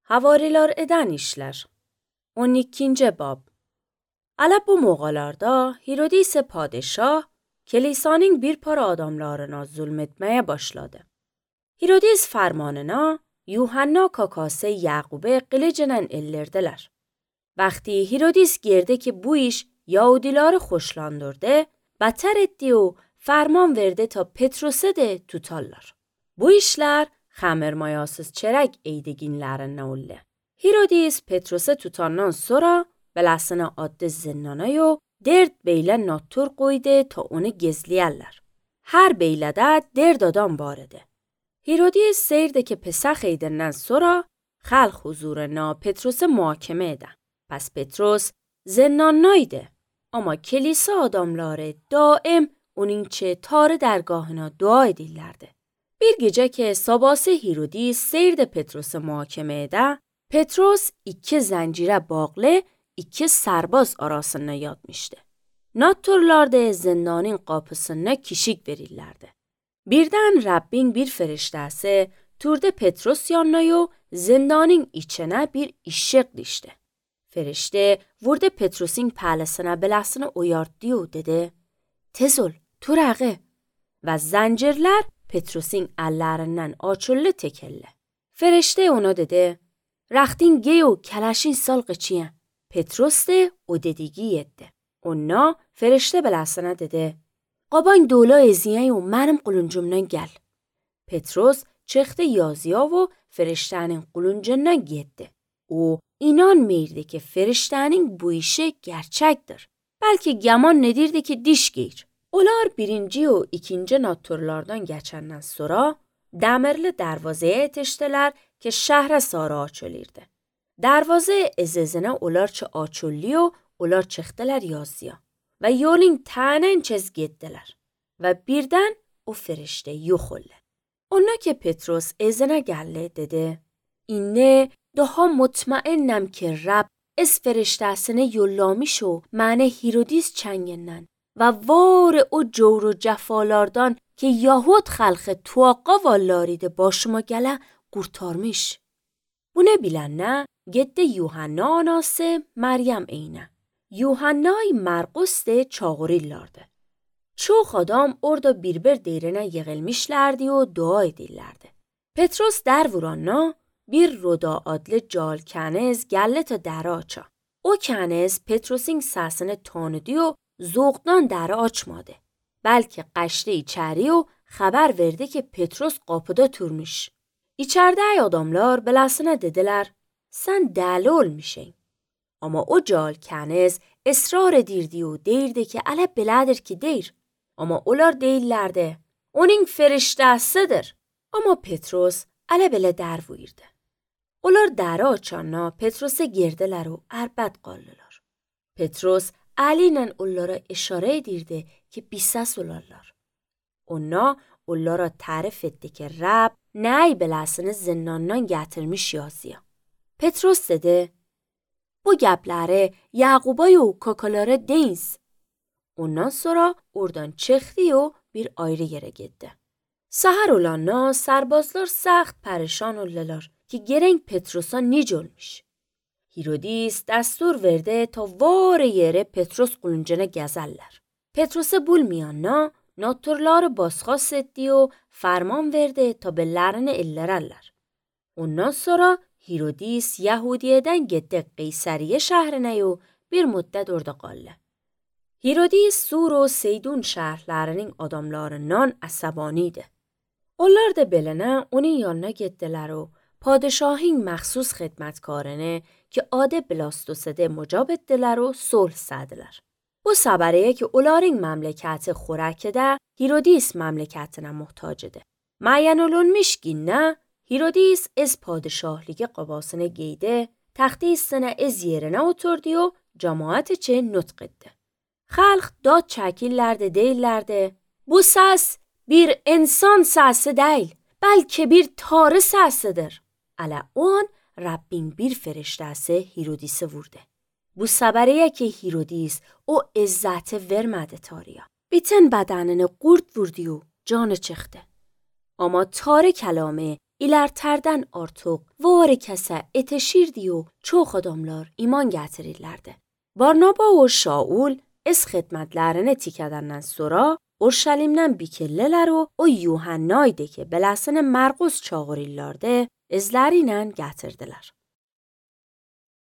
Havariler eden işler. 12. bab. Ala bu moğalarda Hirodis padişah kilisanın bir para adamlarına zulmetmeye başladı. Hirodis fermanına Yuhanna kakası Yaqub'e qılıcının ellerdiler. Vakti Hirodis girdi ki bu iş Yahudileri hoşlandırdı, beter etti و ferman verdi ta Petrus'u de tutarlar. Bu işler xəmirmayasız çərək eydiginlərindən oldu. Hirodis Petrus'u tutandan sonra belasına addı zinnanayı dert beyle nattur koydu ta onu gezliyerler. Her beylede dert adam vardı. Hirodis seyirdi ki pesach eydinden sonra xalq huzuruna Petrus'u muhakeme ede. Pes Petrus zinnanaydı. Ama kilise adamları daim onun çe tarı dergahına dua edirlerdi. Bir gece ki sabahsı Hirodis seyirde Petrus'u muhakeme ede, Petrus 2 zincire bağlı 2 serbaz arasına yatmıştı. Natturlar da zindanın kapısına kişik verirlerdi. Birden Rabbin bir feriştesi turda Petrus yanına zindanın içine bir ışık düştü. Ferişte vurdu Petrus'un pəlesine belasını uyarttı و dedi: "Tez ol, turağı." Ve zincirler Petrus'un ellerinden açıldı tekelle. Ferişte ona dedi: "Rextin giy و کلشین سال قچیه." Petrus de o dediği etti. Ona ferişte belasına dedi: "Qaban dola eziye و منم quluncumdan gel." Petrus çıktı yazıya و feriştenin quluncundan gitti. O inanmırdı ki feriştenin bu işi gerçektir. Belki yaman nedirdi ki diş giyir. Onlar 1. و 2. natturlardan geçenden sonra demirli darvazeye yetiştiler ki şehre sarı açılırdı. Darvaze ezizine onlar çı açılıyor, onlar çıktılar yazıya. Ve yolun tanen çiz gittiler. Ve birden o ferişte yok oldu. Ona ki Petrus ezine geldi dedi: "İnne daha mutmainnem ki Rab از فرشته‌سine yollamış و من هیرودیس چنگنن و وار او جور و جفالاردان که یهود خلق توقع والاریده başıma gele kurtarmış." Bunu bilenler gitti Yuhanna anası Meryem eyne. Yuhanna'yı Markus de çağırırlardı. Çok adam orada birbir derine yığılmışlardı و dua edirlerdi. Petrus der vuranna bir roda adlı cal keniz geldi ta deri aça. O keniz Petrus'un sesini tanıdı و zoğdan deri açmadı. Belki qaçtı içeri و haber verdi ki Petrus kapıda turmuş. İçeride adamlar belasına dediler: "Sen deli olmuşsun." Ama o cal keniz ısrar edirdi و deyirdi ki "Ala belədir ki deyir." Ama onlar deyirlerdi: "Onun feriştəsidir." Ama Petrus ala belə der buyurdu. Onlar deri açanna Petrus'a girdiler و ərbəd qaldılar. Petrus əliyle onlara işare edirdi ki bir ses olarlar. Onlara tarif etti ki Rab ney belasını zindandan getirmiş yazıya. Petrus dedi: "Bu gəpləri Yaqub'a و kakalara deyiniz." Ondan sonra oradan çıktı و bir ayrı yere gitti. Sahar olanna serbazlar سخت پریشان oldular ki gerek Petrus'a nic olmuş. Hirodis دستور verdi ta var yere Petrus quluncuna gezerler. Petrus'u bulmayanna natturları basxas etti و ferman verdi ta bellerini ellerler. Ondan sonra Hirodis Yahudiye'den gitti Qeysariye şehrine و bir müddet orada kaldı. Hirodis Sur و Seydun şehirlerinin adamlarından asabaniydi. Onlar da belene onun yanına gittiler و padişahın məxsus xidmətkarını ki adı Blastos'de mucab ettiler و صلح سدdiler. Bu sabariye ki onların memleketi Xorak'da Hirodis memleketine muhtacıdı. Müəyyən olunmuş günne Hirodis از padişahlığı qabasını giydi, taxti üstüne از yerine oturdu و cemaat için nutq etti. Xalq dad çəkirlərdi deyirlərdi: "Bu ses bir insan sesi değil, belki bir tarı sesidir." Ala on Rabbin bir feriştesi Hirodis'i vurdu. Bu sabariye ki Hirodis o izzeti vermedi tarıya. Bütün bedenini qurd vurdu و canı çıktı. Ama tarı kelamı ilerlerden artıq var kəsə etəşirdi o çox adamlar iman gətirirlərdi. Barnaba və Şaul öz xidmətlərini tikədəndən sonra Urşəlimdən bikirlələr o Yuhannaydı ki, beləsini Mərqus çağırırlardı, izləri ilə gətirdilər.